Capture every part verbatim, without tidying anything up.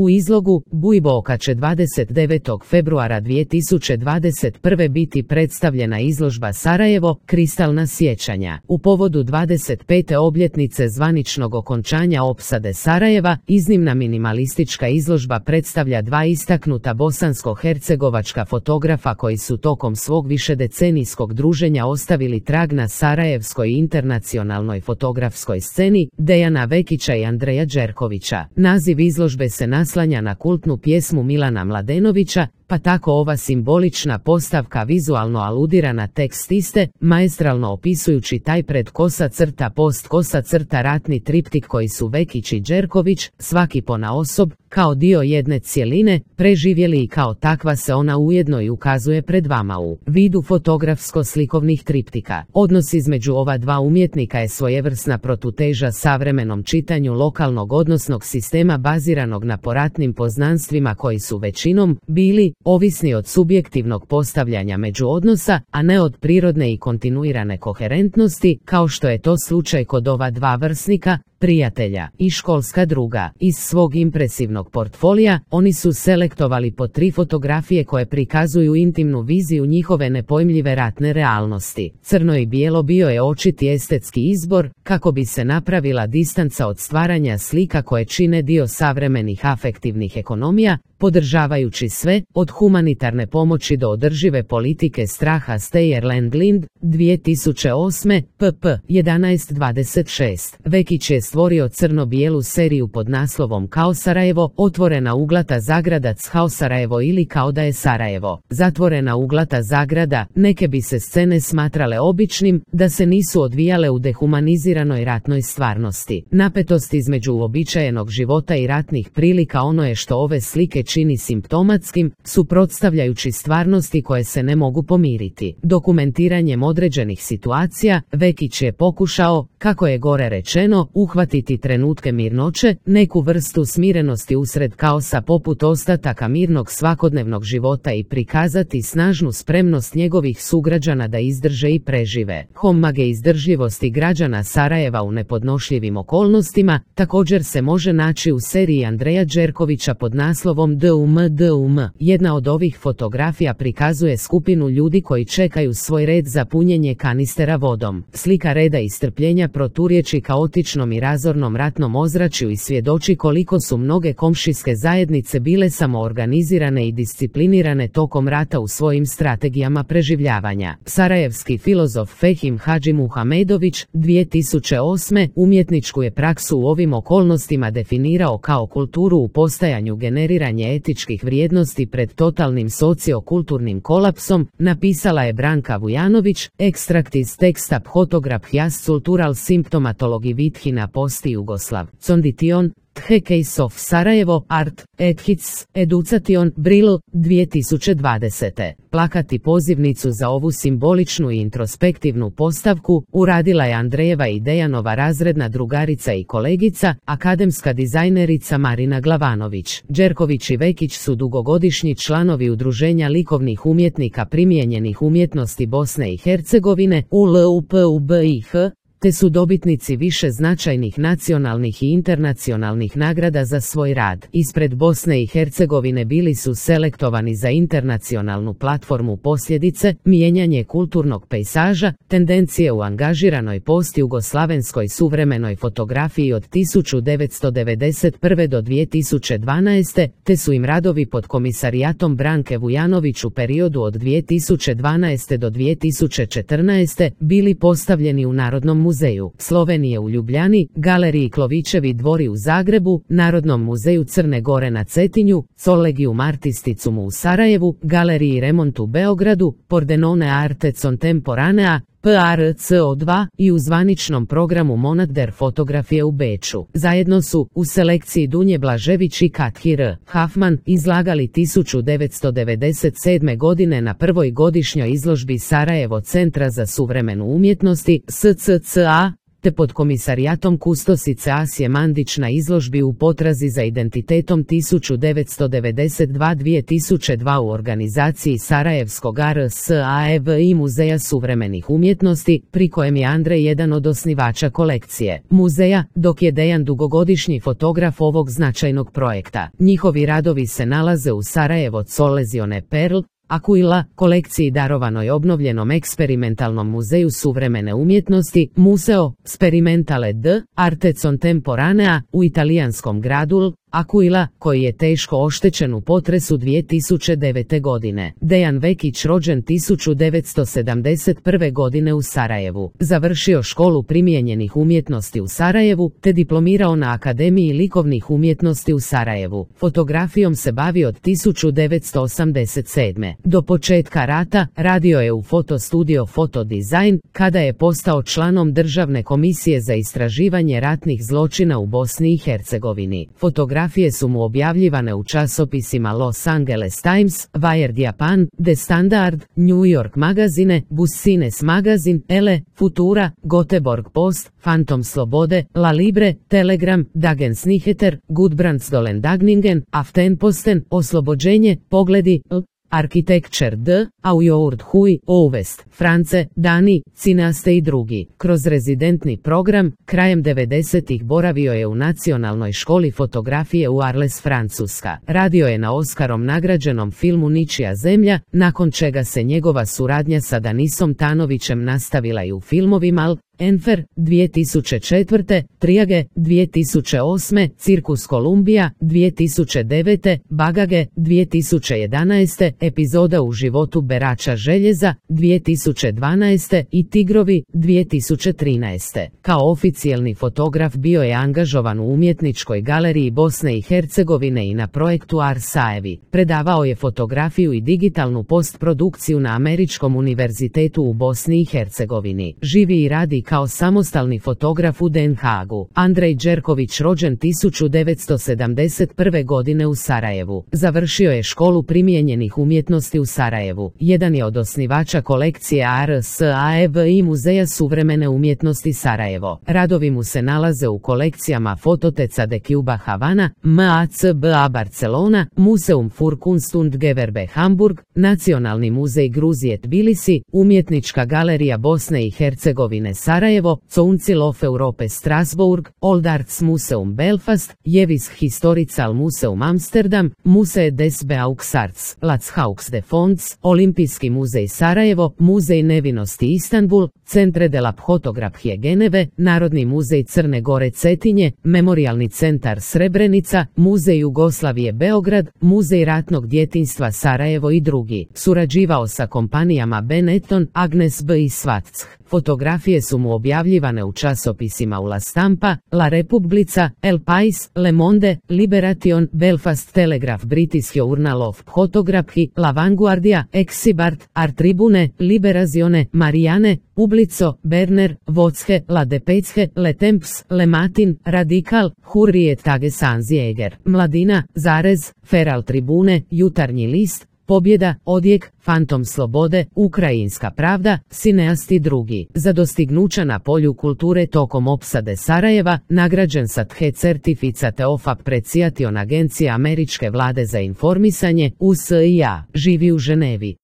U izlogu Bujboka će dvadeset devetog februara dvije tisuće dvadeset prve biti predstavljena izložba Sarajevo, kristalna sjećanja. U povodu dvadeset pete obljetnice zvaničnog okončanja opsade Sarajeva, iznimna minimalistička izložba predstavlja dva istaknuta bosansko-hercegovačka fotografa koji su tokom svog višedecenijskog druženja ostavili trag na sarajevskoj i internacionalnoj fotografskoj sceni, Dejana Vekića i Andreja Đerkovića. Naziv izložbe se naslanja na kultnu pjesmu Milana Mladenovića, pa tako ova simbolična postavka vizualno aludira na tekst iste, maestralno opisujući taj pred kosa crta post kosa crta ratni triptik koji su Vekić i Đerković, svaki ponaosob, kao dio jedne cjeline, preživjeli i kao takva se ona ujedno i ukazuje pred vama u vidu fotografsko-slikovnih triptika. Odnos između ova dva umjetnika je svojevrsna protuteža savremenom čitanju lokalnog odnosnog sistema baziranog na poratnim poznanstvima koji su većinom bili ovisni od subjektivnog postavljanja međuodnosa, a ne od prirodne i kontinuirane koherentnosti, kao što je to slučaj kod ova dva vrsnika, prijatelja i školska druga. Iz svog impresivnog portfolija, oni su selektovali po tri fotografije koje prikazuju intimnu viziju njihove nepojmljive ratne realnosti. Crno i bijelo bio je očiti estetski izbor, kako bi se napravila distanca od stvaranja slika koje čine dio savremenih afektivnih ekonomija, podržavajući sve, od humanitarne pomoći do održive politike straha. Steyerland Lind, dvije tisuće osme, pp. jedanaest dvadeset šest. Vekić je stvorio crno-bijelu seriju pod naslovom Kao Sarajevo, otvorena uglata zagrada Kao Sarajevo ili Kao da je Sarajevo. Zatvorena uglata zagrada, neke bi se scene smatrale običnim, da se nisu odvijale u dehumaniziranoj ratnoj stvarnosti. Napetost između uobičajenog života i ratnih prilika ono je što ove slike čini simptomatskim, suprotstavljajući stvarnosti koje se ne mogu pomiriti. Dokumentiranjem određenih situacija, Vekić je pokušao, kako je gore rečeno, uhvatiti trenutke mirnoće, neku vrstu smirenosti usred kaosa poput ostataka mirnog svakodnevnog života i prikazati snažnu spremnost njegovih sugrađana da izdrže i prežive. Homage izdržljivosti građana Sarajeva u nepodnošljivim okolnostima također se može naći u seriji Andreja Đerkovića pod naslovom D U M D U M. Jedna od ovih fotografija prikazuje skupinu ljudi koji čekaju svoj red za punjenje kanistera vodom. Slika reda i strpljenja proturječi kaotičnom i razornom ratnom ozračju i svjedoči koliko su mnoge komšijske zajednice bile samoorganizirane i disciplinirane tokom rata u svojim strategijama preživljavanja. Sarajevski filozof Fehim Hadžimuhamedović, dvije tisuće osme, umjetničku je praksu u ovim okolnostima definirao kao kulturu u postajanju generiranje etičkih vrijednosti pred totalnim sociokulturnim kolapsom, napisala je Branka Vujanović, ekstrakt iz teksta Photographias cultural symptomatology Vithina posti Jugoslav. Condition, The Case of Sarajevo, Art, Ethits, Education, Brill, dvije tisuće dvadesete. Plakati pozivnicu za ovu simboličnu i introspektivnu postavku uradila je Andrejeva i Dejanova razredna drugarica i kolegica, akademska dizajnerica Marina Glavanović. Đerković i Vekić su dugogodišnji članovi Udruženja likovnih umjetnika primijenjenih umjetnosti Bosne i Hercegovine, U L U P U B I H, te su dobitnici više značajnih nacionalnih i internacionalnih nagrada za svoj rad. Ispred Bosne i Hercegovine bili su selektovani za internacionalnu platformu Posljedice, mijenjanje kulturnog pejsaža, tendencije u angažiranoj postjugoslavenskoj suvremenoj fotografiji od tisuću devetsto devedeset prve do dvije tisuće dvanaeste, te su im radovi pod komisarijatom Branke Vujanović u periodu od dvije tisuće dvanaeste do dvije tisuće četrnaeste bili postavljeni u Narodnom muzeju muzeju Slovenije u Ljubljani, Galeriji Klovićevi dvori u Zagrebu, Narodnom muzeju Crne Gore na Cetinju, Collegium Artisticum u Sarajevu, Galeriji Remont u Beogradu, Pordenone Arte Contemporanea, P R C O dva i u zvaničnom programu Monat der Fotografije u Beču. Zajedno su, u selekciji Dunje Blažević i Kathir Hafman, izlagali tisuću devetsto devedeset sedme. godine na prvoj godišnjoj izložbi Sarajevo Centra za suvremenu umjetnosti S C C A, te pod komisarijatom kustosice Asije Mandić na izložbi U potrazi za identitetom tisuću devetsto devedeset dva do dvije tisuće dva u organizaciji Sarajevskog R S A E V i Muzeja suvremenih umjetnosti, pri kojem je Andrej jedan od osnivača kolekcije muzeja, dok je Dejan dugogodišnji fotograf ovog značajnog projekta. Njihovi radovi se nalaze u Sarajevo Collezione Perl, Aquila, kolekciji darovanoj obnovljenom eksperimentalnom muzeju suvremene umjetnosti, Museo Sperimentale d. Arte Contemporanea, u italijanskom gradu Aquila, koji je teško oštećen u potresu dvije tisuće devete. godine. Dejan Vekić, rođen tisuću devetsto sedamdeset prve. godine u Sarajevu, završio školu primijenjenih umjetnosti u Sarajevu, te diplomirao na Akademiji likovnih umjetnosti u Sarajevu. Fotografijom se bavi od tisuću devetsto osamdeset sedme. Do početka rata radio je u fotostudio Fotodizajn, kada je postao članom Državne komisije za istraživanje ratnih zločina u Bosni i Hercegovini. Fotografija Fotografije su mu objavljivane u časopisima Los Angeles Times, Wired Japan, The Standard, New York Magazine, Business Magazine, Elle, Futura, Göteborg Post, Phantom Slobode, La Libre, Telegram, Dagens Nyheter, Gudbrandsdalen Dagningen, Aftenposten, Oslobođenje, Pogledi, L. Architecture d. Aujord Hui, Ouvest, France, Dani, Cineaste i drugi. Kroz rezidentni program, krajem devedesetih boravio je u Nacionalnoj školi fotografije u Arles, Francuska. Radio je na Oskarom nagrađenom filmu Ničija zemlja, nakon čega se njegova suradnja sa Danisom Tanovićem nastavila i u filmovima L. Enfer, dvije tisuće četvrte. Triage, dvije tisuće osme. Cirkus Kolumbija, dvije tisuće devete. Bagage, dvije tisuće jedanaeste. Epizoda u životu berača željeza, dvije tisuće dvanaeste. i Tigrovi, dvije tisuće trinaeste. Kao oficijelni fotograf bio je angažovan u Umjetničkoj galeriji Bosne i Hercegovine i na projektu Arsaevi. Predavao je fotografiju i digitalnu postprodukciju na Američkom univerzitetu u Bosni i Hercegovini. Živi i radi kao samostalni fotograf u Den Haagu. Andrej Đerković, rođen tisuću devetsto sedamdeset prve. godine u Sarajevu. Završio je školu primijenjenih umjetnosti u Sarajevu. Jedan je od osnivača kolekcije R S A E V i Muzeja suvremene umjetnosti Sarajevo. Radovi mu se nalaze u kolekcijama Fototeca de Cuba Havana, M A C B A Barcelona, Museum für Kunst und Gewerbe Hamburg, Nacionalni muzej Gruzije Tbilisi, Umjetnička galerija Bosne i Hercegovine Sarajevo, Council of Europe Strasbourg, Old Arts Museum Belfast, Jevis Historical Museum Amsterdam, Musee des Beaux-Arts, Lathauks de Fonds, Olimpijski muzej Sarajevo, Muzej nevinosti Istanbul, Centre de la Fotografije Geneve, Narodni muzej Crne Gore Cetinje, Memorijalni centar Srebrenica, Muzej Jugoslavije Beograd, Muzej ratnog djetinjstva Sarajevo i drugi. Surađivao sa kompanijama Benetton, Agnes B i Svatsk. Fotografije su mu objavljivane u časopisima u La Stampa, La Repubblica, El Pais, Le Monde, Liberation, Belfast Telegraph, British Journal of Photography, La Vanguardia, Exibart, Art Tribune, Liberazione, Marianne, Publico, Berner, Votsche, La Depesche, Le Temps, Le Matin, Radical, Hurriet Tagesanzjäger, Mladina, Zarez, Feral Tribune, Jutarnji list, Pobjeda, Odjek, Fantom slobode, Ukrajinska pravda, Cineast i drugi. Za dostignuća na polju kulture tokom opsade Sarajeva, nagrađen sa The Certificate of Appreciation Agencije Američke vlade za informisanje, U S I A, živi u Ženevi.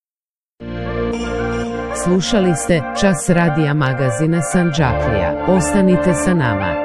Slušali ste Čas radija magazina Sandžaklija. Ostanite sa nama.